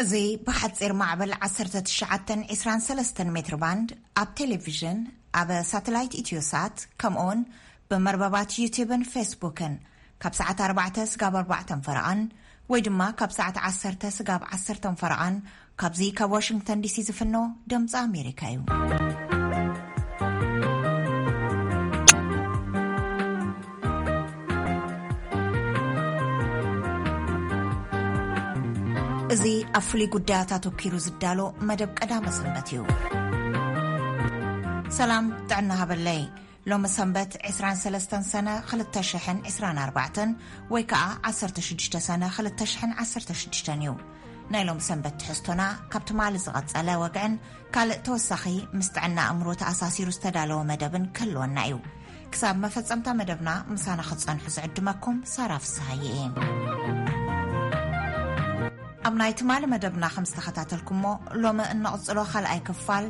እዚ ብሓጺር ማዕበል ዓሰርተ ትሽዓተ ዕስራን ሰለስተን ሜትር ባንድ ኣብ ቴሌቪዥን፣ ኣብ ሳተላይት ኢትዮሳት፣ ከምኡውን ብመርበባት ዩቲብን ፌስቡክን ካብ ሰዓት ኣርባዕተ ስጋብ ኣርባዕተን ፈረቓን ወይ ድማ ካብ ሰዓት ዓሰርተ ስጋብ ዓሰርተን ፈረቓን ካብዚ ካብ ዋሽንግተን ዲሲ ዝፍኖ ድምፂ ኣሜሪካ እዩ። እዚ ኣብ ፍሉይ ጉዳያት ኣተኲሩ ዝዳሎ መደብ ቀዳመ ሰንበት እዩ። ሰላም ጥዕና ሃበለይ። ሎሚ ሰንበት ዕስራን ሰለስተን ሰነ ክልተ ሽሕን ዕስራን ኣርባዕተን ወይ ከኣ ዓሰርተ ሽዱሽተ ሰነ ክልተ ሽሕን ዓሰርተ ሽዱሽተን እዩ። ናይ ሎሚ ሰንበት ትሕዝቶና ካብ ትማሊ ዝቐጸለ ወግዕን ካልእ ተወሳኺ ምስ ጥዕና ኣእምሮ ተኣሳሲሩ ዝተዳለወ መደብን ክህልወና እዩ። ክሳብ መፈጸምታ መደብና ምሳና ክትጸንሑ ዝዕድመኩም ሳራ ፍስሃየ እየ። ኣብ ናይ ትማሊ መደብና ከም ዝተኸታተልኩሞ፣ ሎሚ እንቕጽሎ ካልኣይ ክፋል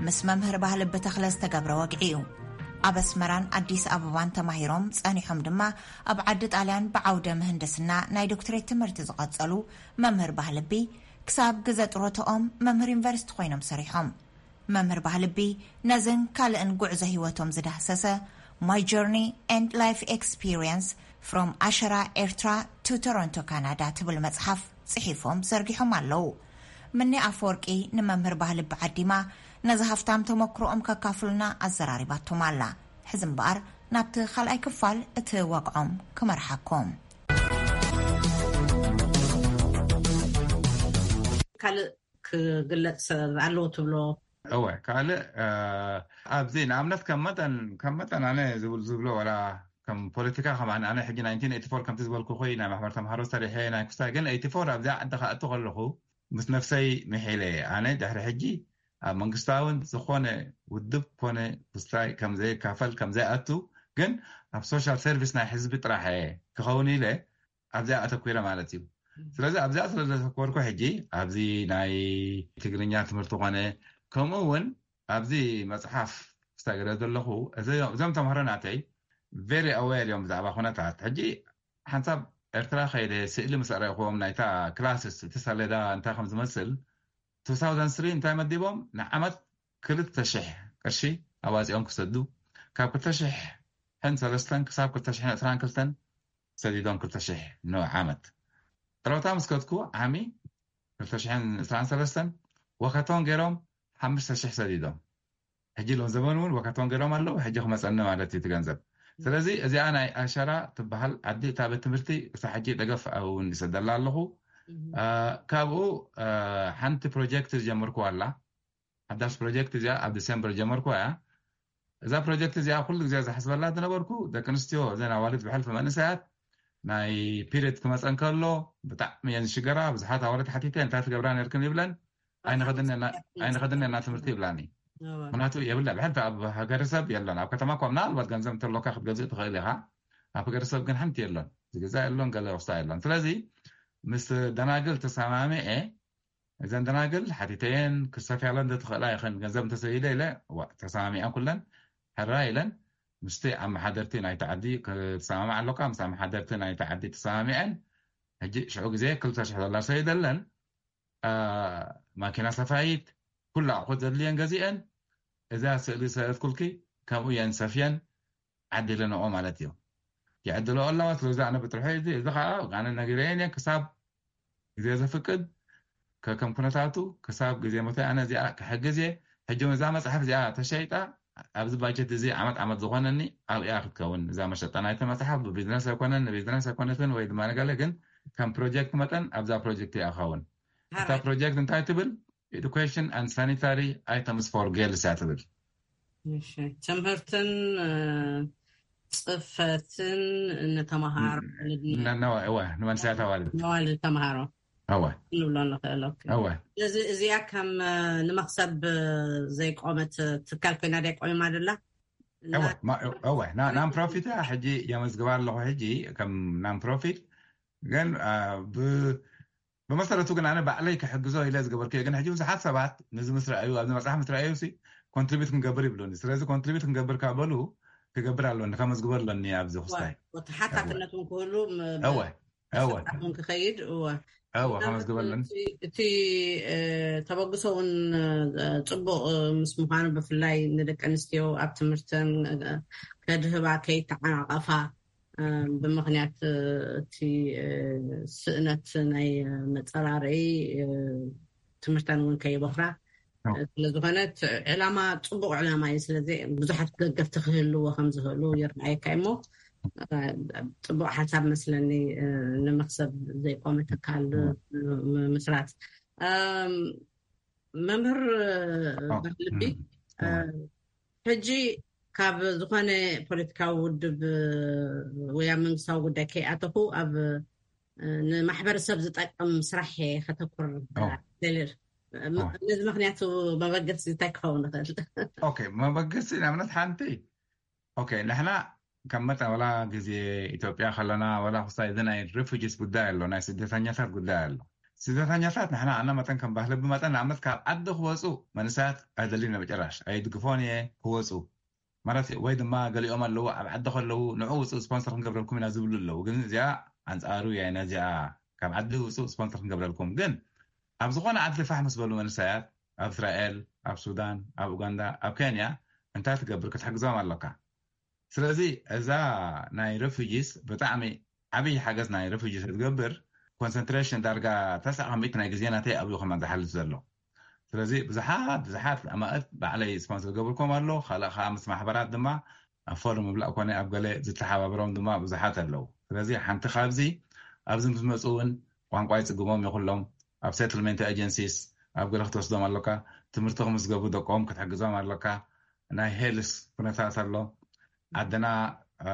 ምስ መምህር ባህሊ ብተኽለ ዝተገብረ ወግዒ እዩ። ኣብ ኣስመራን ኣዲስ ኣበባን ተማሂሮም ጸኒሖም ድማ ኣብ ዓዲ ጣልያን ብዓውደ ምህንድስና ናይ ዶክትሬት ትምህርቲ ዝቐጸሉ መምህር ባህልቢ ክሳብ ግዘ ጥሮተኦም መምህር ዩኒቨርሲቲ ኮይኖም ሰሪሖም። መምህር ባህልቢ ነዝን ካልእን ጉዕዞ ህይወቶም ዝዳህሰሰ My Journey and Life Experience from ኣሸራ ኤርትራ to Toronto Canada ትብል መጽሓፍ ጽሒፎም ዘርጊሖም ኣለዉ። ምኒ ኣፈወርቂ ንመምህር ባህልቢ ዓዲማ ነዚ ሃፍታም ተመክሮኦም ከካፍሉና ኣዘራሪባቶም ኣላ። ሕዚ እምበኣር ናብቲ ካልኣይ ክፋል እቲ ወግዖም ክመርሓኩም። ካልእ ክግለጽ ኣለዎ ትብሎ? እወ፣ ካልእ፣ እ፣ ኣብዚ ንኣብነት ከም መጠን፣ ከም መጠን ኣነ ዝብል-፣ ዝብሎ ዋላ ከም ፖለቲካ ከም ኣነ፣ ኣነ ሕጂ ናይንቲን ኤይቲ ፎር ከምቲ ዝበልኩ ኮይ ናይ ማሕበር ተምሃሮ ሰሪሐ ናይ ኩስታይ ግን ኤይቲ ፎር ኣብዚኣ ዓዲ ክኣቱ ከለኹ ምስ ነፍሰይ ምሒለ እየ። ኣነ ድሕሪ ሕጂ ኣብ መንግስታውን ዝኾነ ውድብ ኮነ ኩስታይ ከም ዘይካፈል፣ ከም ዘይኣቱ ግን ኣብ ሶሻል ሰርቪስ ናይ ህዝቢ ጥራሕ እየ ክኸውን ኢለ ኣብዚኣ ኣተኲረ ማለት እዩ። ስለዚ ኣብዚኣ ስለ ዘተኮርኩ ሕጂ ኣብዚ ናይ ትግርኛ ትምህርቲ ኮነ ከምኡ እውን ኣብዚ መጽሓፍ ክሳገረ ዘለኹ እዚ-፣ እዞም ተምሃሮ ናተይ very aware እዮም ብዛዕባ ኩነታት። ሕጂ ሓንሳብ ኤርትራ ከይደ ስእሊ ምስ ኣረእኽዎም ናይታ ክላስስ እቲ ሰሌዳ እንታይ ከም ዝመስል two thousand three እንታይ መዲቦም ንዓመት ክልተ ሽሕ ቅርሺ ኣዋጺኦም ክሰዱ ካብ ክልተ ሽሕን ሰለስተን ክሳብ ክልተ ሽሕን ዕስራን ክልተን ሰዲዶም ክልተ ሽሕ ንዓመት። ጥሮታ ምስ ከድኩ ዓሚ ክልተ ሽሕን ዕስራን ሰለስተን ወከቶን ገይሮም ሓሙሽተ ሽሕ ሰዲዶም። ሕጂ ሎም ዘበን እውን ወከቶን ገይሮም ኣለዉ። ሕጂ ክመጸኒ ማለት እዩ እቲ ገንዘብ። ስለዚ እዚኣ ናይ ኣሸራ ትበሃል ዓዲ እታ ቤት ትምህርቲ እሳ ሕጂ ደገፍ እውን ይሰደላ ኣለኹ። እ፣ ካብኡ፣ እ፣ ሓንቲ ፕሮጀክት ዝጀመርኩዋ ኣላ። ሓዳሽ ፕሮጀክት እዚኣ ኣብ ዲሴምበር ጀመርኩዋ እያ። እዛ ፕሮጀክት እዚኣ ኩሉ ግዜ ዝሓስበላ ዝነበርኩ ደቂ ኣንስትዮ እዘን ኣዋልድ ብሕልፊ መንእሰያት ናይ ፒሪድ ክመፀን ከሎ ብጣዕሚ እየን ዝሽገራ። ብዙሓት ኣዋልድ ሓቲተ እንታይ ትገብራ ነርክን ይብለን። ኣይንኸድን ኢና፣ ኣይንኸድን ኢና ትምህርቲ ይብላኒ። እዋ። ምክንያቱ የብላ ብሕልፊ ኣብ ሃገረሰብ የለን። ኣብ ከተማ እኳ ምናልባት ገንዘብ እንተሎካ ክትገዝእ ትኽእል ኢኻ። ኣብ ሃገረሰብ ግን ሓንቲ የለን። ዝገዛ የለን፣ ገለ ወስታ የለን። ስለዚ ምስ ደናግል ተሰማሚዐ እዘን ደናግል ሓቲተየን ክሰፍያለን ዘትኽእላ ይኽን ገንዘብ እንተሰይደ ኢለ፣ ዋ፣ ተሰማሚዐን ኩለን ሕራ ኢለን ምስቲ ኣመሓደርቲ ናይቲ ዓዲ ክትሰማማዕ ኣለካ። ምስ ኣመሓደርቲ ናይቲ ዓዲ ተሰማሚዐን ሕጂ ሽዑ ግዜ ክልተ ሽሕ ዶላር ሰይደለን፣ አ፣ ማኪና ሰፋይት ኩሉ ኣቑሑት ዘድልየን ገዚአን እዛ ስእሊ ሰእትኩልኪ ከምኡ እየን ሰፍየን ዓዲለንኦ ማለት እዩ። ይዕድልኦ ኣለዋ። ስለዚ ኣነ ብጥርሑ እዚ፣ እዚ ኸዓ ኣነ ነጊረየን እየ ክሳብ ግዜ ዘፍቅድ ከከም ኩነታቱ ክሳብ ግዜ ሞተይ ኣነ እዚኣ ክሕግዝ እየ። ሕጂ እውን እዛ መፅሓፍ እዚኣ ተሸይጣ ኣብዚ ባጀት እዚ ዓመት ዓመት ዝኾነኒ ኣብያ ክትከውን እዛ መሸጣ ናይቲ መፅሓፍ ብቢዝነስ ኣይኮነን፣ ንቢዝነስ ኣይኮነትን ወይ ድማ ንገለ ግን ከም ፕሮጀክት መጠን ኣብዛ ፕሮጀክት እያ ክኸውን። እታ ፕሮጀክት እንታይ ትብል? Education and Sanitary Items for Girls እያ ትብል። እሺ፣ ትምህርትን፣ እ፣ ጽፈትን ንተምሃሮ፣ ን-፣ ንድኒ-፣ ን-፣ ነዋ-፣ እወ፣ ንመንስያት ኣዋልድ። ነዋልድ ተምሃሮ። እወ። ክንብሎ ንኽእል። ኦኬ። እወ። ስለዚ እዚኣ ከም፣ እ፣ ንመኽሰብ፣ እ፣ ዘይቆመት ትካል ኮይና ድያ ቆይማ ደላ? እወ፣ ማ-፣ እወ፣ ና-፣ ናን ፕሮፊት እያ። ሕጂ የመዝግባ ኣለኹ። ሕጂ ከም ናን ፕሮፊት ግን፣ እ፣ ብ-፣ ብመሰረቱ ግን ኣነ ባዕለይ ክሕግዞ ኢለ ዝገበርኩ እየ። ግን ሕጂ ብዙሓት ሰባት ነዚ ምስ ረኣዩ፣ ኣብዚ መጽሓፍ ምስ ረኣዩ ሲ ኮንትሪቢዩት ክንገብር ይብሉኒ። ስለዚ ኮንትሪቢዩት ክንገብር ካብ በሉ ክገብር ኣለኒ፣ ከመዝግቦ ኣለኒ ኣብዚ ክስታይ። ወ-፣ ወተሓታትነት እውን ክህሉ ም-፣ እወ። እወ። ስርዓት እውን ክኸይድ፣ እወ። እወ፣ ከመዝግበለን። እቲ፣ እቲ፣ እ፣ ተበግሶ እውን፣ እ፣ ጽቡቕ፣ እ፣ ምስ ምዃኑ፣ ብፍላይ ንደቂ ኣንስትዮ ኣብ ትምህርተን፣ እ፣ ከድህባ ከይተዓናቐፋ፣ እ፣ ብምኽንያት፣ እ፣ እቲ፣ እ፣ ስእነት ናይ፣ እ፣ መጸራረዪ፣ እ፣ ትምህርተን እውን ከይበኽራ። እወ። ስለ ዝኾነ እቲ ዕላማ ጽቡቕ ዕላማ እዩ። ስለዚ ብዙሓት ደገፍቲ ክህልዎ ከም ዝኽእሉ ይረኣየካ እሞ፣ እ፣ ጽቡቕ ሓሳብ መስለኒ፣ እ፣ ንመኽሰብ ዘይቆመ ትካል፣ እወ። ም-፣ ምስራት። እም፣ መምህር፣ እ፣ እወ። ባህልቢ፣ እም፣ እ፣ እወ። ሕጂ ካብ ዝኾነ ፖለቲካዊ ውድብ፣ እ፣ ወይ ኣብ መንግስታዊ ጉዳይ ከይኣተኹ ኣብ፣ እ፣ ንማሕበረሰብ ዝጠቅም ስራሕ እየ ከተኩር እወ። ደልየ። ም-፣ እወ። ነዚ ምኽንያቱ መበገሲ እንታይ ክኸውን ይኽእል? ኦኬ፣ መበገሲ ንኣብነት ሓንቲ፣ ኦኬ፣ ንሕና ከም መጠን ዋላ ግዜ ኢትዮጵያ ከለና ዋላ ክሳይ እዚ ናይ ሬፉጂስ ጉዳይ ኣሎ፣ ናይ ስደተኛታት ጉዳይ ኣሎ። ስደተኛታት ንሕና ኣና መጠን ከም ባህሊ ብመጠን ንኣብነት ካብ ዓዲ ክወፁ መንእሰያት ኣይደልዩን መጨራሽ፣ ኣይድግፎን እየ ክወፁ። ማለት ወይ ድማ ገሊኦም ኣለዉ ኣብ ዓዲ ከለዉ ንዑ ውፁ ስፖንሰር ክንገብረልኩም ኢና ዝብሉ ኣለዉ። ግን እዚኣ ኣንጻሩ እያ ነዚኣ ካብ ዓዲ ውፁ ስፖንሰር ክንገብረልኩም። ግን ኣብ ዝኾነ ዓዲ ፋሕ ምስ በሉ መንእሰያት ኣብ እስራኤል፣ ኣብ ሱዳን፣ ኣብ ኡጋንዳ፣ ኣብ ኬንያ እንታይ ትገብር ክትሕግዞም ኣለካ። ስለዚ እዛ ናይ ሬፉጂስ ብጣዕሚ ዓብዪ ሓገዝ ናይ ሬፉጂስ ትገብር። ኮንሰንትሬሽን ዳርጋ ተስዓ ካብ ሚእቲ ናይ ግዜ ናተይ ኣብኡ ከማን ዝሓልፍ ዘሎ። ስለዚ ብዙሓት፣ ብዙሓት ኣማእት ባዕለይ ስፖንሰር ገብርኩም ኣሎ። ካልእ ከዓ ምስ ማሕበራት ድማ ኣብ ፎርም ምብላእ ኮነ ኣብ ገለ ዝተሓባበሮም ድማ ብዙሓት ኣለዉ። ስለዚ ሓንቲ ካብዚ ኣብዚ ምስ መፁ እውን ቋንቋ ይፅግሞም ይኹሎም፣ ኣብ ሴትልመንት ኤጀንሲስ ኣብ ገለ ክትወስዶም ኣለካ፣ ትምህርቲ ክምዝገቡ ደቆም ክትሕግዞም ኣለካ፣ ናይ ሄልስ ኩነታት ኣሎ። ዓድና፣ እ፣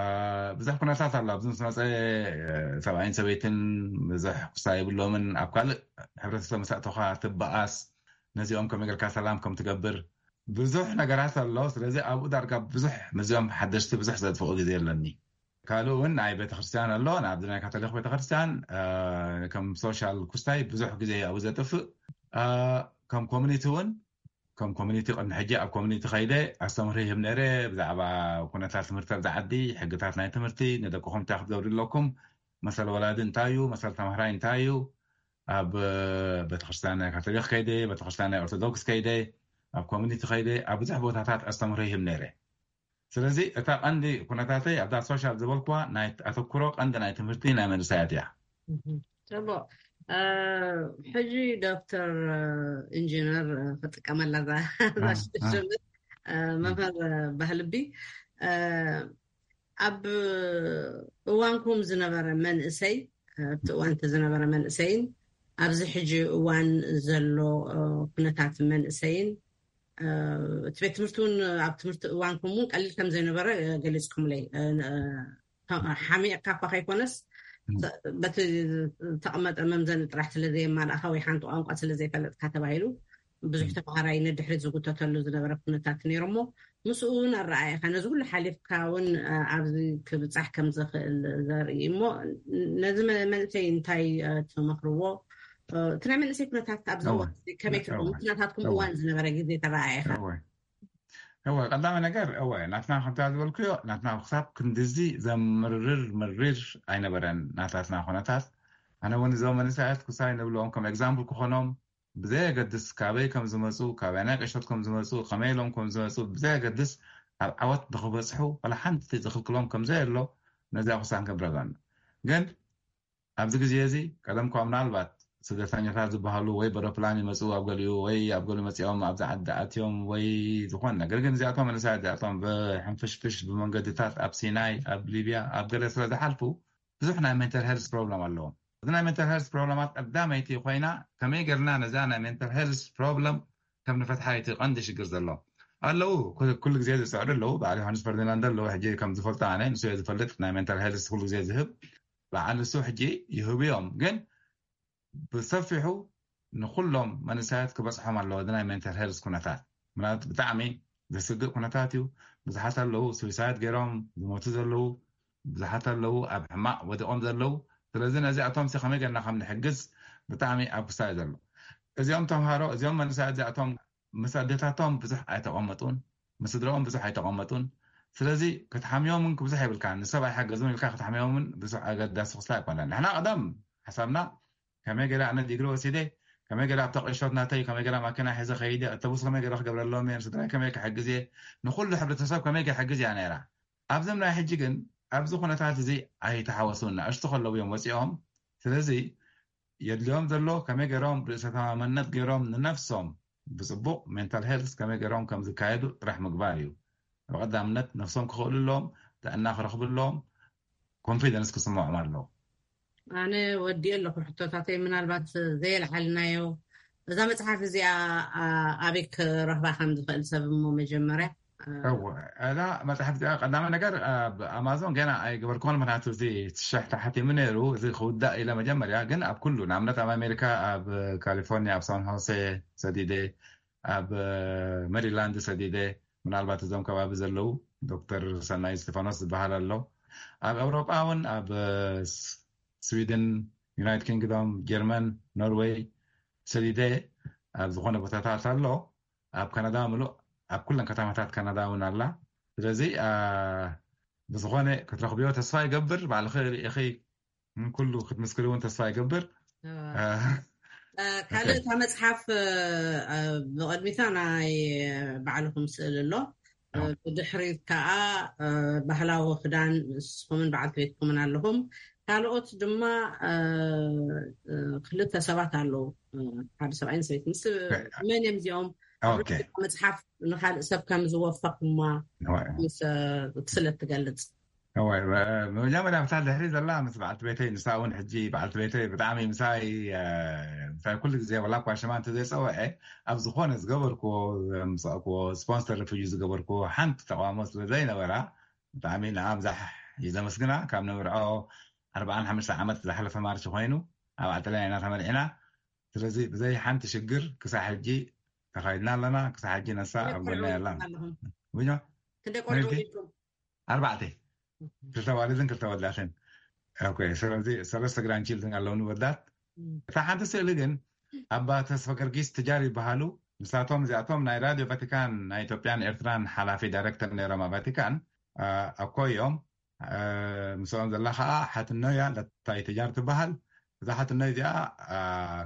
ብዙሕ ኩነታት ኣሎ። ኣብዚ ምስ መፀ፣ እ፣ ሰብኣይን ሰበይትን ብዙሕ ክሳ የብሎምን። ኣብ ካልእ ሕብረተሰብ ምስ ኣተኻ ትበኣስ፣ ነዚኦም ከመይ ጌርካ ሰላም ከም ትገብር ብዙሕ ነገራት ኣሎ። ስለዚ ኣብኡ ዳርጋ ብዙሕ ምስዚኦም ሓደሽቲ ብዙሕ ዘጥፍኦ ግዜ ኣለኒ። ካልእ እውን ናይ ቤተክርስትያን ኣሎ። ንኣብዚ ናይ ካቶሊክ ቤተክርስትያን፣ እ፣ ከም ሶሻል ኩስታይ ብዙሕ ግዜ ኣብኡ ዘጥፍእ፣ እ፣ ከም ኮሚኒቲ እውን ከም ኮሚኒቲ ቅድሚ ሕጂ ኣብ ኮሚኒቲ ከይደ ኣስተምህሮ ይህብ ነይረ። ብዛዕባ ኩነታት ትምህርቲ ኣብዚ ዓዲ፣ ሕግታት ናይ ትምህርቲ፣ ንደቅኹም እንታይ ክትገብሩ ኣለኩም፣ መሰል ወላዲ እንታይ እዩ፣ መሰል ተማሃራይ እንታይ እዩ፣ ኣብ ቤተክርስትያን ናይ ካቶሊክ ከይደ፣ ቤተክርስትያን ናይ ኦርቶዶክስ ከይደ፣ ኣብ ኮሚኒቲ ከይደ፣ ኣብ ብዙሕ ቦታታት ኣስተምህሮ ይህብ ነይረ። ስለዚ እታ ቀንዲ ኩነታተይ ኣብዛ ሶሻል ዝበልኩዋ ናይ ኣተኩሮ ቀንዲ ናይ ትምህርቲ ናይ መንእሰያት እያ። እህ፣ ጽቡቕ። እ፣ ሕጂ ዶክተር፣ እ፣ ኢንጂነር፣ እ፣ ክጥቀመላ እዛ፣ እዛ እ፣ እ። ሽም፣ እ፣ መምህር፣ እ፣ ባህልቢ፣ እ፣ ኣብ እዋንኩም ዝነበረ መንእሰይ፣ እ፣ ኣብቲ እዋን እቲ ዝነበረ መንእሰይን ኣብዚ ሕጂ እዋን ዘሎ፣ እ፣ ኩነታት መንእሰይን፣ እ፣ እቲ ቤት ትምህርቲ እውን ኣብ ትምህርቲ እዋንኩም እውን ቀሊል ከም ዘይነበረ፣ እ፣ ገሊጽኩምለይ። እ፣ እ፣ ሓሚቕካ እኳ ከይኮነስ፣ ም። ተ-፣ በቲ ዝተቐመጠ መምዘኒ ጥራሕ ስለ ዘየማላእካ ወይ ሓንቲ ቋንቋ ስለ ዘይፈለጥካ ተባሂሉ ብዙሕ ም። ተምሃራይ ንድሕሪት ዝጉተተሉ ዝነበረ ኩነታት ነይሩ እሞ፣ ምስኡ እውን ኣረኣእያኻ ነዚ ኩሉ ሓሊፍካ እውን፣ እ፣ ኣብዚ ክብጻሕ ከም ዝኽእል ዘርኢ እሞ፣ ነዚ መ-፣ መንእሰይ እንታይ፣ እ፣ ትመኽርዎ? እ፣ እቲ ናይ መንእሰይ ኩነታት ኣብዚ እወ። እዋን እዚ ከመይ ትርጉም? እወ። እቲ ናታትኩም እወ። እዋን ዝነበረ ግዜ ተረኣእያኻ? እወ። እወ፣ ቀዳሚ ነገር፣ እወ፣ ናትና ከምታ ዝበልኩዮ፣ ናትና ክሳብ ክንድዚ ዘምርር መሪር ኣይነበረን ናታትና ኩነታት። ኣነ እውን እዞም መንእሰያት ክሳይ ንብሎም ከም ኤግዛምፕል ክኾኖም፣ ብዘየገድስ ካበይ ከም ዝመጹ፣ ካበይ ናይ ቀሸት ከም ዝመጹ፣ ከመይ ኢሎም ከም ዝመጹ ብዘየገድስ ኣብ ዓወት ብክበጽሑ ዋላ ሓንቲ ዝኽልክሎም ከም ዘየሎ ነዚኣ ክሳን ክንረጋን። ግን ኣብዚ ግዜ እዚ ቀደም እኳ ምናልባት ስደተኛታት ዝበሃሉ ወይ በሮፕላን ይመጹ ኣብ ገሊኡ ወይ ኣብ ገሊኡ መጺኦም ኣብዚ ዓዲ ኣትዮም ወይ ዝኾነ ነገር፣ ግን እዚኣቶም መንእሰያት እዚኣቶም ብሕንፍሽፍሽ ብመንገድታት ኣብ ሲናይ ኣብ ሊብያ ኣብ ገለ ስለ ዝሓልፉ ብዙሕ ናይ ሜንታል ሄልስ ፕሮብለም ኣለዎም። እዚ ናይ ሜንታል ሄልስ ፕሮብለማት ቀዳመይቲ ኮይና ከመይ ጌርና ነዛ ናይ ሜንታል ሄልስ ፕሮብለም ከም ንፈትሓ እቲ ቀንዲ ሽግር ዘሎ ኣለዉ። ኩ-፣ ኩሉ ግዜ ዝስዕዱ ኣለዉ። በዓል ዮሃንስ ፈርዲናንድ ኣለዉ። ሕጂ ከም ዝፈልጦ ኣነ ንሱ እየ ዝፈልጥ ናይ ሜንታል ሄልስ ኩሉ ግዜ ዝህብ በዓል ንሱ ሕጂ ይህቡ እዮም። ግን ብሰፊሑ ንኩሎም መንእሰያት ክበጽሖም ኣለዎ። እዚ ናይ ሜንታል ሄልስ ኩነታት ምናልባት ብጣዕሚ ዘስግእ ኩነታት እዩ። ብዙሓት ኣለዉ ስዊሳይድ ገይሮም ዝሞቱ ዘለዉ፣ ብዙሓት ኣለዉ ኣብ ሕማቕ ወዲቖም ዘለዉ። ስለዚ ነዚኣቶም ሲ ከመይ ጌርና ከም ንሕግዝ ብጣዕሚ ኣብ ክሳይ ዘሎ። እዚኦም ተምሃሮ፣ እዚኦም መንእሰያት እዚኣቶም ምስ ኣዴታቶም ብዙሕ ኣይተቐመጡን፣ ምስ ስድራኦም ብዙሕ ኣይተቐመጡን። ስለዚ ክትሓምዮምን ክብዙሕ የብልካ፣ ንሰብ ኣይሓገዙን ኢልካ ክትሓምዮምን ብዙሕ ኣገዳሲ ክስላ ኣይኮነን። ንሕና ቀደም ሓሳብና ከመይ ገለ ኣነ ዲግሪ ወሲደ፣ ከመይ ገለ ኣብታ ቁሸት ናተይ፣ ከመይ ገለ ማኪና ሒዘ ከይደ፣ ኣተቡስ ከመይ ገለ ክገብረሎም እየ፣ ንስድራይ ከመይ ክሕግዝ እየ፣ ንኩሉ ሕብረተሰብ ከመይ ክሕግዝ እያ ነይራ። ኣብዞም ናይ ሕጂ ግን ኣብዚ ኩነታት እዚ ኣይተሓወሱን። ንኣሽቱ ከለዉ እዮም ወፂኦም። ስለዚ የድልዮም ዘሎ ከመይ ገይሮም ርእሰ ተማመነት ገይሮም ንነፍሶም ብፅቡቕ ሜንታል ሄልት ከመይ ገይሮም ከም ዝካየዱ ጥራሕ ምግባር እዩ። ብቐዳምነት ነፍሶም ክኽእሉ ኣለዎም፣ ጥዕና ክረኽቡ ኣለዎም፣ ኮንፊደንስ ክስምዖም ኣለዎ። ኣነ ወዲኤ ኣለኹ ሕቶታተይ። ምናልባት ዘየልዓልናዮ፣ እዛ መፅሓፍ እዚኣ ኣበይ ክረኽባ ከም ዝኽእል ሰብ እሞ መጀመርያ? እዛ መፅሓፍ እዚኣ ቀዳማይ ነገር ኣብ ኣማዞን ገና ኣይገበርኩን፣ ምክንያቱ እዚ ትሽሕ ተሓቲሙ ነይሩ። እዚ ክውዳእ ኢለ መጀመርያ፣ ግን ኣብ ኩሉ ንኣብነት ኣብ ኣሜሪካ ኣብ ካሊፎርኒያ ኣብ ሳን ሆሴ ሰዲደ፣ ኣብ ሜሪላንድ ሰዲደ፣ ምናልባት እዞም ከባቢ ዘለዉ ዶክተር ሰናይ እስጢፋኖስ ዝበሃል ኣሎ። ኣብ ኤውሮጳ እውን ኣብ ስዊድን፣ ዩናይትድ ኪንግዶም፣ ጀርመን፣ ኖርዌይ ሰዲደ ኣብ ዝኾነ ቦታታት ኣሎ። ኣብ ካናዳ ምሉእ፣ ኣብ ኩለን ከተማታት ካናዳ እውን ኣላ። ስለዚ ብዝኾነ ክትረኽብዮ ተስፋ ይገብር። ባዕልኺ ርኢኺ ኩሉ ክትምስክሪ እውን ተስፋ ይገብር። ካልእ እታ መፅሓፍ ብቐድሚታ ናይ ባዕልኹም ስእል ኣሎ። ብድሕሪት ከዓ ባህላዊ ክዳን ንስኹምን በዓልቲ ቤትኩምን ኣለኹም። ካልኦት ድማ ክልተ ሰባት ኣለዉ፣ ሓደ ሰብኣይን ሰበይትን። መን እዮም እዚኦም? መፅሓፍ ንካልእ ሰብ ከም ዝወፈኹማ ምስ ክስለ ትገልፅ። መጀመርያ ምሳል ድሕሪ ዘላ ምስ በዓልቲ ቤተይ፣ ንሳ እውን ሕጂ በዓልቲ ቤተይ ብጣዕሚ ምሳይ ምሳይ ኩሉ ግዜ፣ ወላ እኳ ሽማ እንተዘይፀውዐ፣ ኣብ ዝኾነ ዝገበርኩዎ፣ ምሰእኩዎ ስፖንሰር ሪፉጂ ዝገበርኩዎ ሓንቲ ተቃውሞ ስለ ዘይነበራ፣ ብጣዕሚ ንኣ ብዛሕ እዩ ዘመስግና። ካብ ነምርዖ ኣርባዓን ሓሙሽተ ዓመት ዝሓለፈ ማርች ኮይኑ ኣብ ኣጠልያን ኢና ተመርዒና። ስለዚ ብዘይ ሓንቲ ሽግር ክሳብ ሕጂ ተኻይድና ኣለና። ክሳብ ሕጂ ነሳ ኣብ ጎና ያላ። ክንደይ ቆልዑ ወሊድኩም? ኣርባዕተ፣ ክልተ ዋልድን ክልተ ወዳትን። ስለዚ ሰለስተ ግራንድ ችልድን ኣለውኒ ወዳት። እታ ሓንቲ ስእሊ ግን ኣባ ተስፋ ገርጊስ ትጃር ይበሃሉ። ንሳቶም እዚኣቶም ናይ ራድዮ ቫቲካን ናይ ኢትዮጵያን ኤርትራን ሓላፊ ዳይሬክተር ነይሮም ኣብ ቫቲካን። ኣኮ እዮም። ምስኦም ዘላ ከዓ ሓትኖ እያ፣ ለታይ ትጃር ትበሃል። እዛ ሓትኖ እዚኣ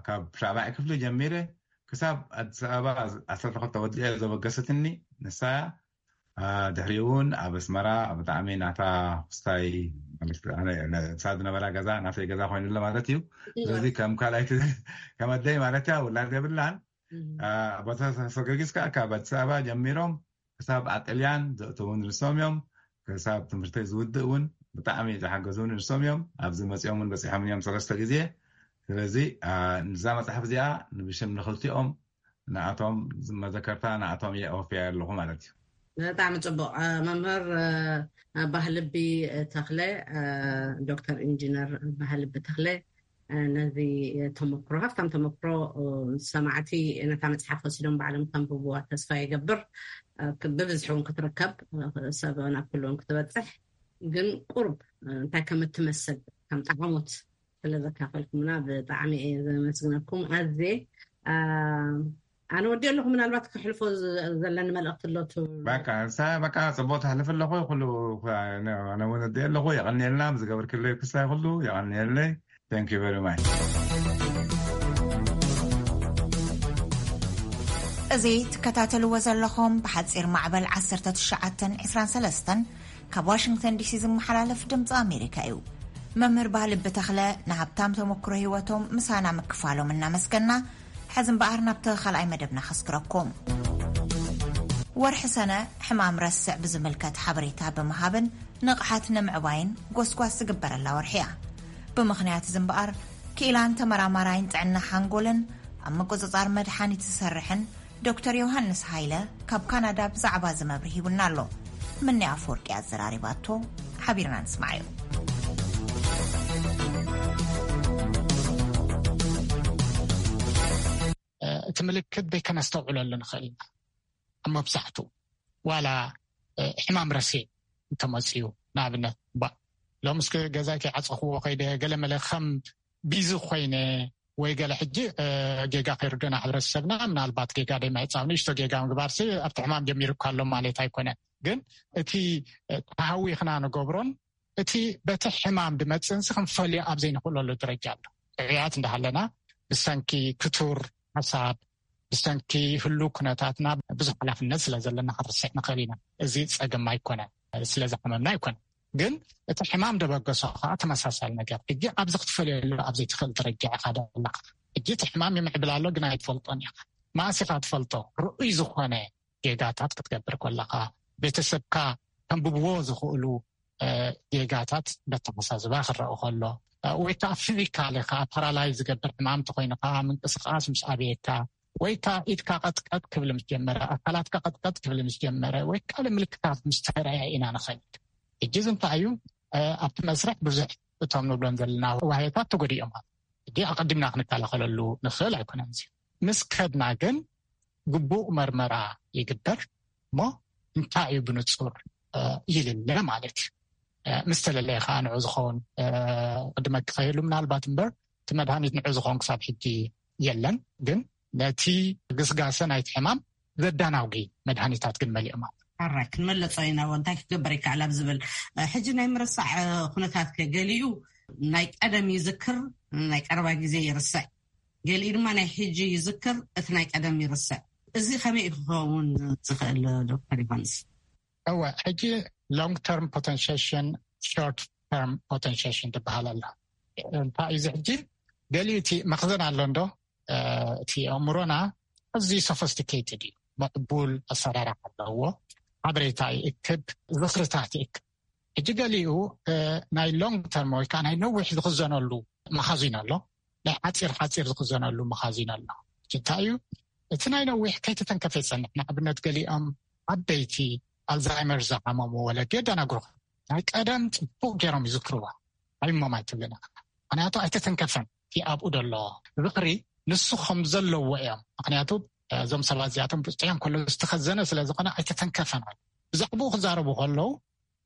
ካብ ሻዕባይ ክፍሊ ጀሚረ ክሳብ ኣዲስ ኣበባ ዓሰርተ ክልተ ወዲኤ ዘበገሰትኒ ንሳ እያ። ድሕሪኡ እውን ኣብ ኣስመራ ብጣዕሚ ናታ ክስታይ፣ ንሳ ዝነበራ ገዛ ናተይ ገዛ ኮይኑለ ማለት እዩ። ስለዚ ከም ካልኣይቲ፣ ከም ኣደይ ማለት እያ፣ ውላድ የብላን። ኣቦታት ሰገጊስ ከዓ ካብ ኣዲስ ኣበባ ጀሚሮም ክሳብ ኣብ ጥልያን ዘእተዉ ንሶም እዮም። ክሳብ ትምህርተይ ዝውድእ እውን ብጣዕሚ ዝሓገዙኒ ንሶም እዮም። ኣብዚ መፂኦም እውን በፂሖም እዮም ሰለስተ ግዜ። ስለዚ እዛ መፅሓፍ እዚኣ ንብሽም ንክልቲኦም፣ ንኣቶም መዘከርታ ንኣቶም እየ ኣወፍያ ኣለኹ ማለት እዩ። ብጣዕሚ ፅቡቕ። መምህር ባህልቢ ተኽለ፣ ዶክተር ኢንጂነር ባህልቢ ተኽለ፣ ነዚ ተመክሮ፣ ሃፍታም ተመክሮ፣ ሰማዕቲ ነታ መፅሓፍ ወሲዶም ባዕሎም ከንብብዋ ተስፋ ይገብር። ብብዝሒ እውን ክትርከብ፣ ሰብ ናብ ኩሉ እውን ክትበፅሕ፣ ግን ቁርብ እንታይ ከም እትመስል ከም ጣዕሞት ስለ ዘካፈልኩምና ብጣዕሚ እየ ዘመስግነኩም። ኣዜ ኣነ ወዲ ኣለኹ። ምናልባት ከሕልፎ ዘለኒ መልእክቲ ኣሎ ትብሉ? በቃ ንሳ በቃ ፅቡቅ ተሕልፍ ኣለኹ። ኩሉ ኣነ እውን ወዲ ኣለኹ። የቀንየልና ዝገብርክለይ ክስታይ ኩሉ የቀንየለይ። Thank you very much። እዚ ትከታተልዎ ዘለኹም ብሓፂር ማዕበል ዓሰርተ ትሽዓተን ዕስራን ሰለስተን ካብ ዋሽንግተን ዲሲ ዝመሓላለፍ ድምፂ ኣሜሪካ እዩ። መምህር ባህልቢ ተኽለ ንሃብታም ተመክሮ ህይወቶም ምሳና ምክፋሎም እናመስገና፣ ሕዚ እምበኣር ናብቲ ካልኣይ መደብና ከስግረኩም። ወርሒ ሰነ ሕማም ረስዕ ብዝምልከት ሓበሬታ ብምሃብን ንቕሓት ንምዕባይን ጎስጓስ ዝግበረላ ወርሒ እያ። ብምኽንያት እዚ እምበኣር ክኢላን ተመራማራይን ጥዕና ሓንጎልን ኣብ ምቁጽጻር መድሓኒት ዝሰርሕን ዶክተር ዮሃንስ ሃይለ ካብ ካናዳ ብዛዕባ እዚ መብርሂ ሂቡና ኣሎ። ምኒ ኣፈወርቂ ኣዘራሪባቶ፣ ሓቢርና ንስማዓዮ። እቲ ምልክት ደይከነስተውዕለሉ ንኽእል ኢና። ኣብ መብዛሕትኡ ዋላ ሕማም ረሲዕ እንተመፅዩ፣ ንኣብነት ባ ሎምስ ገዛይ ከይዓፀኽዎ ከይደ ገለመለ ከም ቢዚ ኮይነ ወይ ገለ ሕጂ ጌጋ ከይርድና ሕብረተሰብና፣ ምናልባት ጌጋ ደይምዕጻው፣ ንእሽቶ ጌጋ ምግባርሲ ኣብቲ ሕማም ጀሚሩ እኳ ኣሎ ማለት ኣይኮነን። ግን እቲ ተሃዊኽና ንገብሮን እቲ በቲ ሕማም ድመጽእንሲ ክንፈልዮ ኣብ ዘይንኽእለሉ ደረጃ ኣሎ። ጥዑያት እንዳሃለና ብሰንኪ ክቱር ሓሳብ፣ ብሰንኪ ህሉ ኩነታትና ብዙሕ ሓላፍነት ስለ ዘለና ክንርስዕ ንኽእል ኢና። እዚ ጸገም ኣይኮነን፣ ስለ ዝሓመምና ኣይኮነን። ግን እቲ ሕማም ደበገሶ ከዓ ተመሳሳሊ ነገር። ሕጂ ኣብዚ ክትፈልየሉ ኣብ ዘይትኽእል ደረጃ ኢኻ ዘለኻ። ሕጂ እቲ ሕማም ይምዕብል ኣሎ፣ ግን ኣይትፈልጦን ኢኻ። መኣስ ኢኻ ትፈልጦ? ርኡይ ዝኾነ ጌጋታት ክትገብር ከለኻ፣ ቤተሰብካ ከንብብዎ ዝኽእሉ ጌጋታት በተመሳዝባ ክረአ ከሎ፣ ወይ ከዓ ፊዚካሊ ከዓ ፓራላይዝ ዝገብር ሕማም ተኮይኑ ከዓ ምንቅስቃስ ምስ ኣበየካ፣ ወይ ከዓ ኢድካ ቀጥቀጥ ክብል ምስ ጀመረ፣ ኣካላትካ ቀጥቀጥ ክብል ምስ ጀመረ፣ ወይ ካልእ ምልክታት ምስ ተረኣየ ኢና ንኸይድ። ሕጂ እዚ እንታይ እዩ? ኣብቲ መስርሕ ብዙሕ እቶም ንብሎም ዘለና ዋህዮታት ተጎዲኦም። ሕጂ ኣቐዲምና ክንከላኸለሉ ንኽእል ኣይኮነን። እዚ ምስ ከድና ግን ግቡእ መርመራ ይግበር እሞ እንታይ እዩ ብንጹር ይልለ ማለት እዩ። ምስ ተለለየ ከዓ ንዑ ዝኸውን ቅድመ ክኸይሉ ምናልባት እምበር፣ እቲ መድሃኒት ንዑ ዝኸውን ክሳብ ሕጂ የለን። ግን ነቲ ግስጋሰ ናይቲ ሕማም ዘዳናጉ መድሃኒታት ግን መሊኦም ኣለዉ። ኣራይ ክንመለጾ ኢና፣ እንታይ ክገበር ይከኣል ኣብ ዝብል። ሕጂ ናይ ምርሳዕ ኩነታት ከ ገሊኡ ናይ ቀደም ይዝክር፣ ናይ ቀረባ ግዜ ይርስዕ፣ ገሊኡ ድማ ናይ ሕጂ ይዝክር፣ እቲ ናይ ቀደም ይርስዕ። እዚ ከመይ እዩ ክኸውን ዝኽእል ዶክተር ዮሃንስ? እወ፣ ሕጂ long term potentiation፣ short term potentiation ትበሃል ኣላ። እንታይ እዩ እዚ ሕጂ? ገሊኡ እቲ መኽዘን ኣሎ እንዶ፣ እቲ ኣእምሮና ኣዝዩ ሶፊስቲኬትድ እዩ። ምዕቡል ኣሰራርሓ ኣለዎ። ሓበሬታ ይእክብ፣ ዝኽርታት ይእክብ። ሕጂ ገሊኡ ናይ ሎንግ ተርም ወይ ከዓ ናይ ነዊሕ ዝኽዘነሉ መኻዚን ኣሎ፣ ናይ ሓፂር ሓፂር ዝኽዘነሉ መኻዚን ኣሎ። ሕጂ እንታይ እዩ? እቲ ናይ ነዊሕ ከይተተንከፈ ይፀንሕ። ንኣብነት ገሊኦም ዓበይቲ ኣልዛይመር ዝሓመሙ ወለዲ የደናግሩኻ። ናይ ቀደም ፅቡቅ ገይሮም ይዝክርዋ። ኣይሞም ኣይትብልን ኢኻ። ምክንያቱ ኣይተተንከፈን። እቲ ኣብኡ ዘሎ ዝኽሪ ንሱ ከም ዘለዎ እዮም። ምክንያቱ እዞም ሰባት እዚኣቶም ብፅሑዮም ከሎ ዝተኸዘነ ስለ ዝኾነ ኣይተተንከፈን ኣሎ። ብዛዕባኡ ክዛረቡ ከለዉ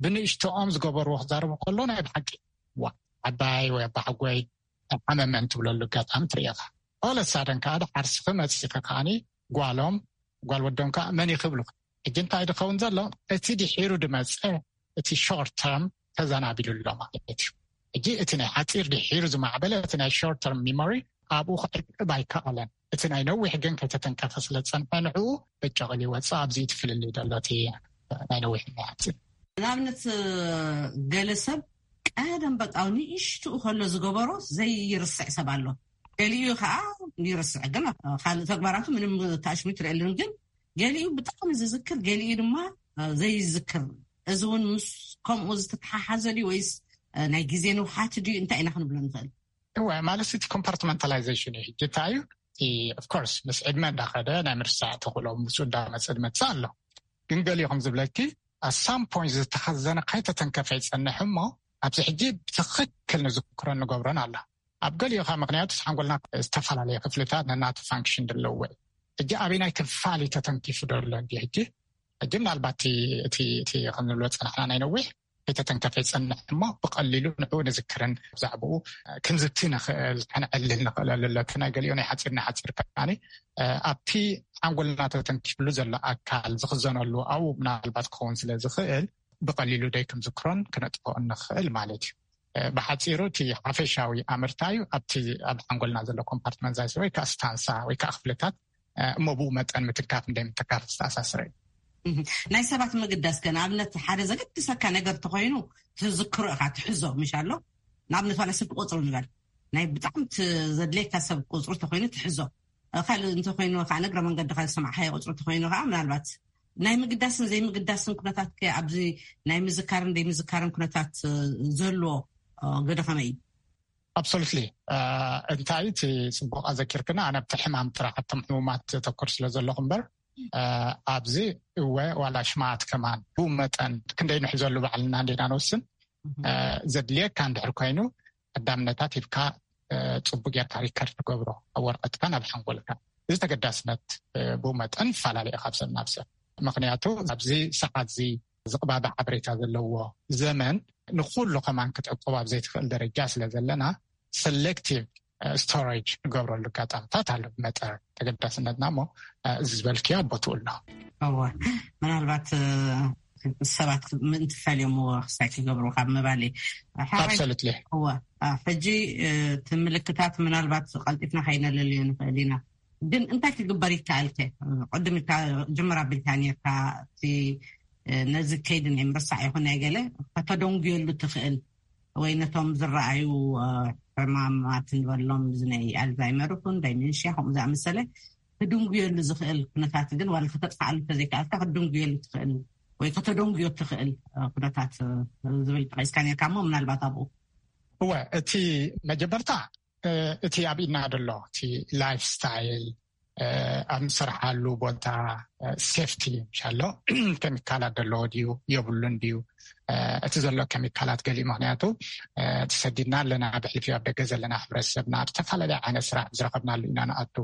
ብንእሽቶኦም ዝገበርዎ ክዛረቡ ከሎ ናይ ብሓቂ ዋ ዓባይ ወይ ኣባሓጎይ ሓመመን ትብለሉ ኣጋጣሚ ትርኢ ኢኻ። ኦለሳደን ከዓ ድሓር ስኺ መፂኺ ከዓኒ ጓሎም ጓል ወዶም ከዓ መን እዩ ክብሉ። ሕጂ እንታይ ድኸውን ዘሎ? እቲ ድሒሩ ድመፀ እቲ ሾርት ተርም ተዘናቢሉ ኣሎ ማለት እዩ። ሕጂ እቲ ናይ ሓፂር ድሒሩ ዝማዕበለ እቲ ናይ ሾርት ተርም ሚሞሪ ኣብኡ ክዕቅብ ኣይከኣለን። እቲ ናይ ነዊሕ ግን ከይተተንከፈ ስለ ዝፀንሐ ንዕኡ በጨቕ ኢሉ ይወፅእ። ኣብዚ እቲ ፍልልይ ዘሎ እቲ ናይ ነዊሕ ናይ ሓፂር። ንኣብነት ገለ ሰብ ቀደም በቃ ንእሽትኡ ከሎ ዝገበሮ ዘይርስዕ ሰብ ኣሎ። ገሊኡ ከዓ ይርስዕ፣ ግን ካልእ ተግባራቱ ምንም ተኣሽሚት ትርእየሉን። ግን ገሊኡ ብጣዕሚ ዝዝክር፣ ገሊኡ ድማ ዘይዝክር። እዚ እውን ምስ ከምኡ ዝተተሓሓዘ ድዩ ወይስ ናይ ግዜ ንውሓት ድዩ? እንታይ ኢና ክንብሎ ንኽእል? እወ፣ ማለት እቲ ኮምፓርትመንታላይዜሽን እዩ። ሕጂ እንታይ እዩ እቲ? ኦፍኮርስ ምስ ዕድመ እንዳኸደ ናይ ምርሳዕ ተኽእሎ ምስኡ እንዳመፀ ዝመፅእ ኣሎ። ግን ገሊኡ ከም ዝብለኪ ኣሳም ፖይንት ዝተኸዘነ ከይተተንከፈ ይፀንሕ እሞ ኣብዚ ሕጂ ብትኽክል ንዝክሮን ንገብሮን ኣሎ። ኣብ ገሊኡ ካብ ምክንያቱ ሓንጎልና ዝተፈላለየ ክፍልታት ነናቱ ፋንክሽን ዘለዎ እዩ። ሕጂ ኣበናይ ክፋል እዩ ተተንኪፉ ዘሎ እንዲ? ሕጂ ሕጂ ምናልባት እቲ እቲ እቲ ከም ንብሎ ፀናሕና ናይ ነዊሕ ከይተተንከፈ ይፀንሕ እሞ ብቐሊሉ ንዕኡ ንዝክርን ብዛዕባኡ ክንዝቲ ንኽእል፣ ከነዕልል ንኽእል ኣለለቱ ናይ ገሊኡ ናይ ሓፂር ናይ ሓፂር ከዓኒ ኣብቲ ሓንጎልና ተተንኪፍሉ ዘሎ ኣካል ዝኽዘነሉ ኣብኡ ምናልባት ክኸውን ስለ ዝኽእል ብቐሊሉ ደይ ክንዝክሮን ክነጥፍኦን ንኽእል ማለት እዩ። ብሓፂሩ እቲ ሓፈሻዊ ኣምርታ እዩ ኣብቲ ኣብ ሓንጎልና ዘሎ ኮምፓርትመንታይዝ ወይ ከዓ ስታንሳ ወይ ከዓ ክፍልታት እሞ ብኡ መጠን ምትንካፍ እንደምትካፍ ዝተኣሳሰረ እዩ። ናይ ሰባት ምግዳስ ከ ንኣብነት ሓደ ዘገድሰካ ነገር ተኮይኑ ትዝክሮ ኢኻ ትሕዞ ምሽ ኣሎ። ንኣብነት ዋላ ስልኪ ቁፅሪ ንበል ናይ ብጣዕሚ ዘድልየካ ሰብ ቁፅሪ ተኮይኑ ትሕዞ። ካልእ እንተኮይኑ ከዓ ነግረ መንገድካ ዝሰማዕካዮ ቁፅሪ ተኮይኑ ከዓ ምናልባት ናይ ምግዳስን ዘይምግዳስን ኩነታት ከ ኣብዚ ናይ ምዝካርን ዘይምዝካርን ኩነታት ዘሎ ገደ ከመይ እዩ? ኣብሶሉትሊ። እንታይ እቲ ፅቡቅ ኣዘኪርክና። ኣነ ኣብቲ ሕማም ጥራሕ ኣብቶም ሕሙማት ዘተኩር ስለ ዘለኹ እምበር ኣብዚ እወ ዋላ ሽማት ከማን ብኡ መጠን ክንደይ ንሕዘሉ ባዕልና እንዴና ንወስን። ዘድልየካ እንድሕር ኮይኑ ቀዳምነታት ሂብካ ፅቡቅ ጌርካ ሪከርድ ትገብሮ ኣብ ወረቀትካ ናብ ሓንጎልካ። እዚ ተገዳስነት ብኡ መጠን ይፈላለየ ካብ ሰብ ናብ ሰብ። ምክንያቱ ኣብዚ ሰዓት እዚ ዝቕባበ ሓበሬታ ዘለዎ ዘመን ንኩሉ ከማን ክትዕቆብ ኣብ ዘይትኽእል ደረጃ ስለ ዘለና ሰሌክቲቭ ስቶሬጅ ንገብረሉ ኣጋጣምታት ኣሎ። ብመጠን ተገዳስነትና እሞ እዚ ዝበልክዮ ቦትኡ ኣሎ። እወ፣ ምናልባት ሰባት ምእንቲ ፈልዮም ክሳይ ክገብሩ ካብ ምባል። ኣብሰሉትሊ። እወ፣ ሕጂ እቲ ምልክታት ምናልባት ቀልጢፍና ከይነለልዮ ንኽእል ኢና። ግን እንታይ ክግበር ይከኣልከ? ቅድም ኢልካ ጅምር ኣቢልካ ነርካ፣ እቲ ነዚ ከይዲ ናይ ምርሳዕ ይኹን ናይ ገለ ከተደንጉየሉ ትኽእል ወይ ነቶም ዝረኣዩ ሕማማት ንበሎም፣ እዚ ናይ ኣልዛይመር ይኹን ዳይሜንሽያ ከምኡ ዝኣመሰለ ክድንጉየሉ ዝኽእል ኩነታት ግን ዋላ ከተጥፍኣሉ እንተዘይከኣልካ ክትድንጉየሉ ትኽእል ወይ ከተደንጉዮ ትኽእል ኩነታት ዝብል ጠቂስካ ነርካ እሞ ምናልባት ኣብኡ። እወ፣ እቲ መጀመርታ እቲ ኣብ ኢድና ዘሎ እቲ ላይፍ ስታይል ኣብ ንሰርሓሉ ቦታ ሴፍቲ ሻሎ ከሚካላት ዘለዎ ድዩ የብሉን ድዩ እቲ ዘሎ ከሚካላት ገሊኡ ምክንያቱ ተሰዲድና ኣለና ብሕልፊ ኣብ ደገ ዘለና ሕብረተሰብና ኣብ ዝተፈላለየ ዓይነት ስራሕ ዝረኸብናሉ ኢና ንኣቱ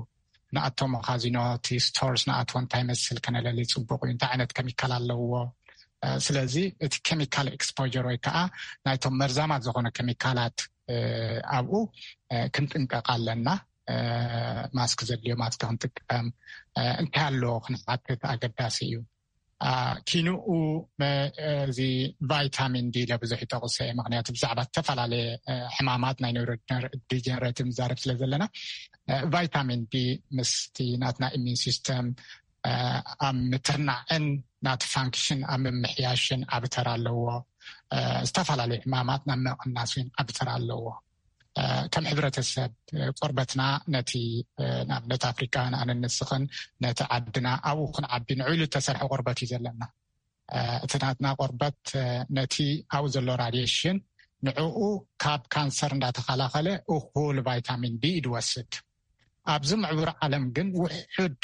ንኣቶ መኻዚኖ እቲ ስቶርስ ንኣቶ እንታይ መስል ከነለሊ ፅቡቅ እዩ እንታይ ዓይነት ከሚካል ኣለዎ ስለዚ እቲ ኬሚካል ኤክስፖጀር ወይ ከዓ ናይቶም መርዛማት ዝኾነ ኬሚካላት ኣብኡ ክንጥንቀቕ ኣለና። ማስክ ዘድልዮ ማስክ ክንጥቀም እንታይ ኣሎ ክንሓትት ኣገዳሲ እዩ። ኪንኡ እዚ ቫይታሚን ዲ ለብዙሕ ይጠቕሰ ምክንያቱ ብዛዕባ ዝተፈላለየ ሕማማት ናይ ኒውሮ ዲጀነሬቲቭ ንዛረብ ስለ ዘለና ቫይታሚን ዲ ምስቲ ናትና ኢሚን ሲስተም ኣብ ምትርናዕን ናቲ ፋንክሽን ኣብ ምምሕያሽን ዓቢ ተራ ኣለዎ። ዝተፈላለዩ ሕማማት ናብ ምቕናስ እውን ዓቢ ተራ ኣለዎ። ከም ሕብረተሰብ ቆርበትና ነቲ ንኣብነት ኣፍሪካ ንኣነን ንስኽን ነቲ ዓድና ኣብኡ ክንዓቢ ንዕሉ እተሰርሐ ቆርበት እዩ ዘለና። እቲ ናትና ቆርበት ነቲ ኣብኡ ዘሎ ራድየሽን ንዕኡ ካብ ካንሰር እንዳተኸላኸለ እኹል ቫይታሚን ዲ እዩ ዝወስድ። ኣብዚ ምዕቡር ዓለም ግን ውሑድ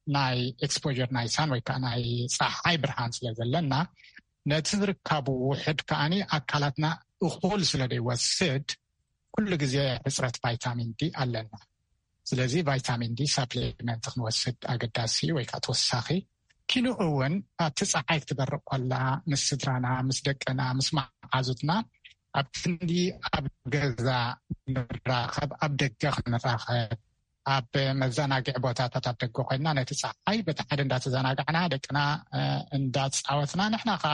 ናይ ኤክስፖር ናይ ሳን ወይ ከዓ ናይ ፀሓይ ብርሃን ስለ ዘለና ነቲ ዝርካቡ ውሕድ ከዓኒ ኣካላትና እኹል ስለ ዘይወስድ ኩሉ ግዜ ሕፅረት ቫይታሚን ዲ ኣለና። ስለዚ ቫይታሚን ዲ ሳፕሊመንት ክንወስድ ኣገዳሲ ወይ ከዓ ተወሳኺ ኪንኡ እውን ኣብቲ ፀሓይ ክትበርቕ ከላ ምስ ስድራና ምስ ደቅና ምስ መሓዙትና ኣብ ክንዲ ኣብ ገዛ ንራኸብ ኣብ ደገ ክንራኸብ ኣብ መዘናግዒ ቦታታት ኣብ ደገ ኮይንና ነቲ ፀሓይ በቲ ሓደ እንዳተዘናጋዕና ደቅና እንዳፃወትና ንሕና ከዓ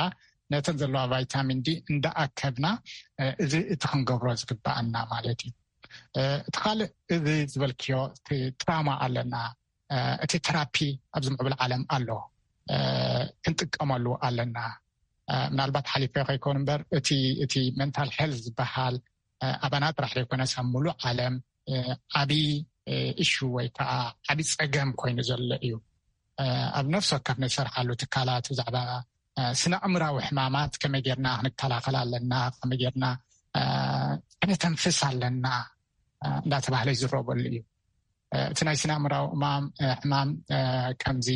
ነተን ዘለዋ ቫይታሚን ዲ እንዳኣከብና እዚ እቲ ክንገብሮ ዝግባኣና ማለት እዩ። እቲ ካልእ እዚ ዝበልክዮ ትራማ ኣለና እቲ ተራፒ ኣብዚ ምዕብል ዓለም ኣሎ ክንጥቀመሉ ኣለና። ምናልባት ሓሊፈ ከይኮኑ እምበር እቲ እቲ መንታል ሄልት ዝበሃል ኣባና ጥራሕ ዘይኮነስ ኣብ ሙሉእ ዓለም ዓብዪ እሹ ወይ ከዓ ዓብዪ ፀገም ኮይኑ ዘሎ እዩ። ኣብ ነፍሲ ወከፍ ንሰርሓሉ ትካላት ብዛዕባ ስነ ኣእምራዊ ሕማማት ከመይ ጌርና ክንከላኸል ኣለና፣ ከመይ ጌርና ከነተንፍስ ኣለና እንዳተባህለ ይዝረበሉ እዩ። እቲ ናይ ስነ ኣእምራዊ እማም ሕማም ከምዚ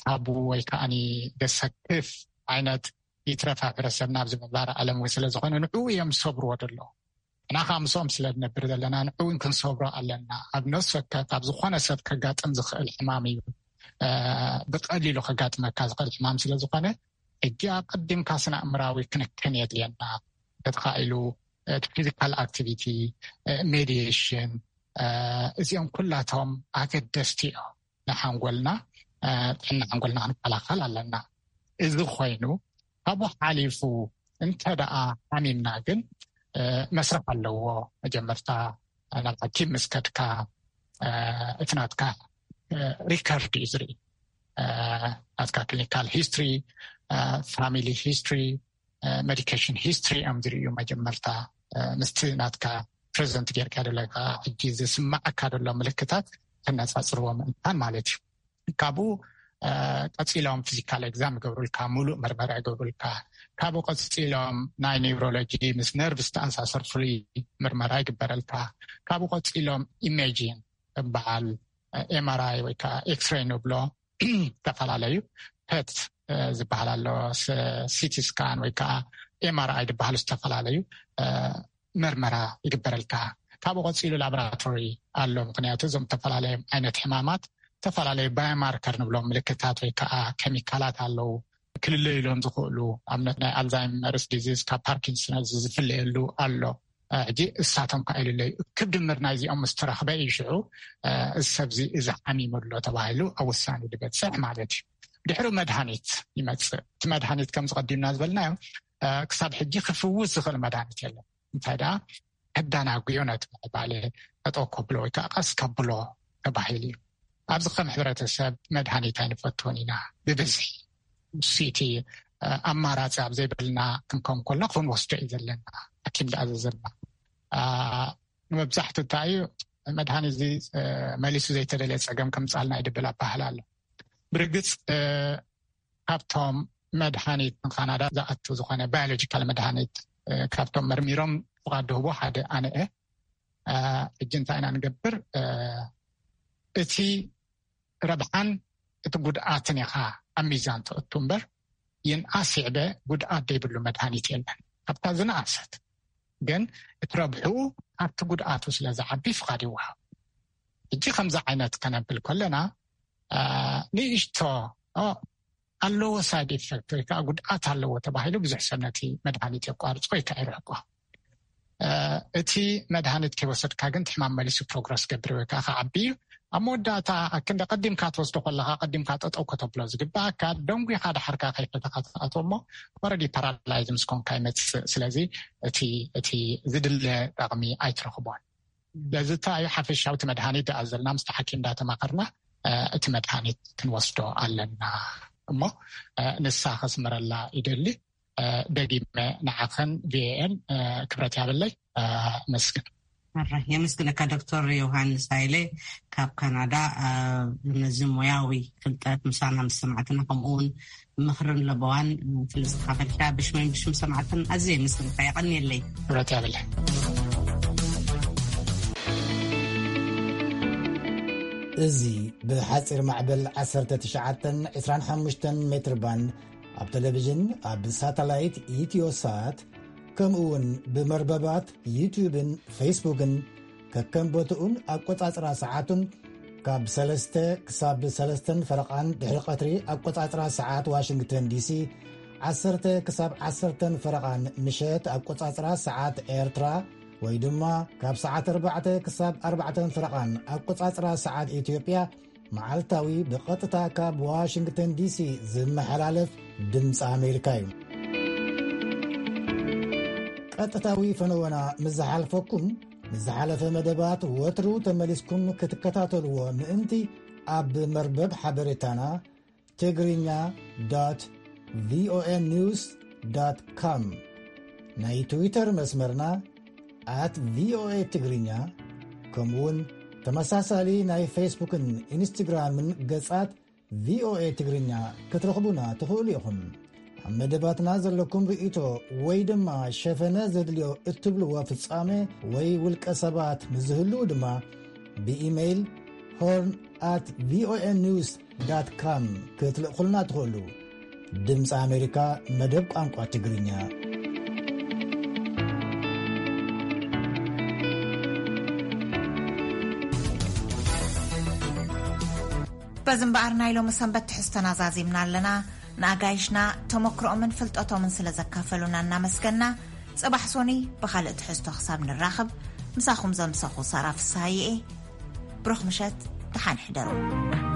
ታቡ ወይ ከዓኒ ደሰክፍ ዓይነት ይትረፍ ኣብ ሕብረተሰብና ኣብዚ ምዕባረ ዓለም እውን ስለ ዝኾነ ንዕኡ እዮም ዝሰብርዎ ዘለዉ። ንሕና ከዓ ምስኦም ስለ ንነብር ዘለና ንዕኡ እውን ክንሰብሮ ኣለና። ኣብ ነፍሲ ወከፍ ኣብ ዝኾነ ሰብ ከጋጥም ዝኽእል ሕማም እዩ። ብቐሊሉ ከጋጥመካ ዝኽእል ሕማም ስለ ዝኾነ ሕጂ ኣቐዲምካ ስነ ኣእምራዊ ክንክን የድልየና። ተተኻኢሉ እቲ ፊዚካል ኣክቲቪቲ፣ ሜዲሽን እዚኦም ኩላቶም ኣገደስቲ እዮም። ንሓንጎልና ጥዕና ሓንጎልና ክንከላኸል ኣለና። እዚ ኮይኑ ካብኡ ሓሊፉ እንተ ደኣ ሓሚምና ግን መስርሕ ኣለዎ። መጀመርታ ናብ ሓኪም ምስ ከድካ እቲ ናትካ ሪከርድ እዩ ዝርኢ። ናትካ ክሊኒካል ሂስትሪ፣ ፋሚሊ ሂስትሪ፣ ሜዲኬሽን ሂስትሪ እዮም ዝርእዩ መጀመርታ ምስቲ ናትካ ፕሬዘንት ጌርካ ዘለካ ሕጂ ዝስማዓካ ዘሎ ምልክታት ከነፃፅርዎ ምእንታን ማለት እዩ። ካብኡ ቀፂሎም ፊዚካል ኤግዛም ይገብሩልካ፣ ሙሉእ መርመራ ይገብሩልካ። ካብኡ ቀፂሎም ናይ ኒውሮሎጂ ምስ ነርቭ ዝተኣሳሰር ፍሉይ ምርመራ ይግበረልካ። ካብኡ ቀፂሎም ኢሜጂን ዝበሃል ኤምኣርኣይ ወይ ከዓ ኤክስሬይ ንብሎ ዝተፈላለዩ ፐት ዝበሃል ኣሎ፣ ሲቲ ስካን ወይ ከዓ ኤምኣርኣይ ዝበሃሉ ዝተፈላለዩ መርመራ ይግበረልካ። ካብኡ ቀፂሉ ላቦራቶሪ ኣሎ፣ ምክንያቱ እዞም ዝተፈላለዩ ዓይነት ሕማማት ዝተፈላለዩ ባዮማርከር ንብሎም ምልክታት ወይ ከዓ ኬሚካላት ኣለዉ ክልለዩሎም ዝኽእሉ፣ ኣብነት ናይ ኣልዛይመርስ ዲዚዝ ካብ ፓርኪንሰንስ ዝፍለየሉ ኣሎ። ሕጂ እሳቶም ከ ኢሉለይ ክብ ድምር ናይዚኦም ምስ ተረኽበ እዩ ሽዑ እዚ ሰብዚ እዚ ሓሚሙ ኣሎ ተባሂሉ ኣብ ውሳኔ ዝበፅሕ ማለት እዩ። ድሕሪ መድሃኒት ይመፅእ። እቲ መድሃኒት ከም ዝቐዲምና ዝበልናዮ ክሳብ ሕጂ ክፍውስ ዝኽእል መድሃኒት የለን። እንታይ ደኣ ከዳናጉዮ ነቲ ምዕባለ ጠጠው ከብሎ ወይ ከዓ ቀስ ከብሎ ተባሂሉ እዩ። ኣብዚ ከም ሕብረተሰብ መድሃኒት ኣይንፈትዎን ኢና ብብዝሒ። እሱ እቲ ኣማራፂ ኣብ ዘይበልና ክንከውን ከሎ ክንወስዶ እዩ ዘለና። ሓኪም ዝኣዘዘልና። ንመብዛሕቱ እንታይ እዩ መድሃኒት እዚ መሊሱ ዘይተደለየ ፀገም ከምፃልና ይድብል ኣባህል ኣሎ። ብርግፅ ካብቶም መድሃኒት ንካናዳ ዝኣቱ ዝኾነ ባዮሎጂካል መድሃኒት ካብቶም መርሚሮም ፍቓድ ድህቦ ሓደ ኣነ እየ። ሕጂ እንታይ ኢና ንገብር? እቲ ረብሓን እቲ ጉድኣትን ኢኻ ኣብ ሚዛን ተእቱ እምበር ይንኣስ ይዕበ ጉድኣት ዘይብሉ መድሃኒት የለን። ካብታ ዝነኣሰት ግን እቲ ረብሑ ካብቲ ጉድኣቱ ስለ ዝዓቢ ፍቓድ ይወሃብ። ሕጂ ከምዚ ዓይነት ከነብል ከለና ንእሽቶ ኣለዎ ሳይድ ኢፌክት ወይ ከዓ ጉድኣት ኣለዎ ተባሂሉ ብዙሕ ሰብ ነቲ መድሃኒት የቋርጾ ወይ ከዓ ይርሕቆ። እቲ መድሃኒት ከይወሰድካ ግን ሕማም መሊሱ ፕሮግረስ ገብር ወይ ከዓ ከዓቢ እዩ። ኣብ መወዳእታ ክንደ ቀዲምካ ትወስዶ ከለካ ቀዲምካ ጠጠው ከተብሎ ዝግባኣካ ደንጉኻ ዳሓርካ ከይፈተካ ትኣትዎ እሞ ወረዲ ፓራላይዝ ምስ ኮንካ ይመፅእ። ስለዚ እቲ ዝድለ ጠቕሚ ኣይትረኽቦን። ስለዚ እንታይ እዩ ሓፈሻዊ እቲ መድሃኒት ዝኣዘልና ምስቲ ሓኪም እንዳተማኸርና እቲ መድሃኒት ክንወስዶ ኣለና እሞ ንሳ ከስምረላ ይደሊ። ደጊመ ንዓኸን ቪኤን ክብረት ያብለይ። መስግን። የመስግነካ ዶክተር ዮሃንስ ሃይለ ካብ ካናዳ። ነዚ ሞያዊ ፍልጠት ምሳና ምስ ሰማዕትና ከምኡውን ምኽርን ለበዋን ስለ ዝካፈልካ ብሽመን ብሽም ሰማዕትን ኣዝየ የመስግነካ። የቐንየለይ። ክብረት ያብለይ። እዚ ብሓፂር ማዕበል ዓሰርተ ትሽዓተን ዕስራን ሓሙሽተን ሜትር ባንድ ኣብ ቴሌቪዥን ኣብ ሳተላይት ኢትዮሳት ከምኡ እውን ብመርበባት ዩትዩብን ፌስቡክን ከከም ቦትኡን ኣቆጻጽራ ሰዓቱን ካብ ሰለስተ ክሳብ ሰለስተን ፈረቓን ድሕሪ ቀትሪ ኣቆጻጽራ ሰዓት ዋሽንግተን ዲሲ ዓሰርተ ክሳብ ዓሰርተን ፈረቓን ምሸት ኣቆጻጽራ ሰዓት ኤርትራ ወይ ድማ ካብ ሰዓት ኣርባዕተ ክሳብ ኣርባዕተን ፈረቓን ኣቆጻጽራ ሰዓት ኢትዮጵያ መዓልታዊ ብቐጥታ ካብ ዋሽንግተን ዲሲ ዝመሓላለፍ ድምፂ ኣሜሪካ እዩ። ቀጥታዊ ፈነወና ምስ ዝሓልፈኩም ንዝሓለፈ መደባት ወትሩ ተመሊስኩም ክትከታተልዎ ምእንቲ ኣብ መርበብ ሓበሬታና ትግርኛ ዶት ቪኦኤ ኒውስ ዶት ኮም ናይ ትዊተር መስመርና ኣት ቪኦኤ ትግርኛ ከምኡውን ተመሳሳሊ ናይ ፌስቡክን ኢንስትግራምን ገጻት ቪኦኤ ትግርኛ ክትረኽቡና ትኽእሉ ኢኹም። ኣብ መደባትና ዘለኩም ርእይቶ ወይ ድማ ሸፈነ ዘድልዮ እትብልዎ ፍጻሜ ወይ ውልቀ ሰባት ንዝህልው ድማ ብኢሜይል ሆርን ኣት ቪኦኤ ኒውስ ዳት ካም ክትልእኹልና ትኽእሉ። ድምፂ ኣሜሪካ መደብ ቋንቋ ትግርኛ። በዚ እምበኣር ናይ ሎሚ ሰንበት ትሕዝቶና ዛዚምና ኣለና። ንኣጋይሽና ተመክሮኦምን ፍልጠቶምን ስለ ዘካፈሉና እናመስገና፣ ጽባሕ ሶኒ ብኻልእ ትሕዝቶ ክሳብ ንራኸብ፣ ምሳኹም ዘምሰኹ ሳራ ፍስሃየ እየ። ብሩኽ ምሸት፣ ደሓን ሕደሩ።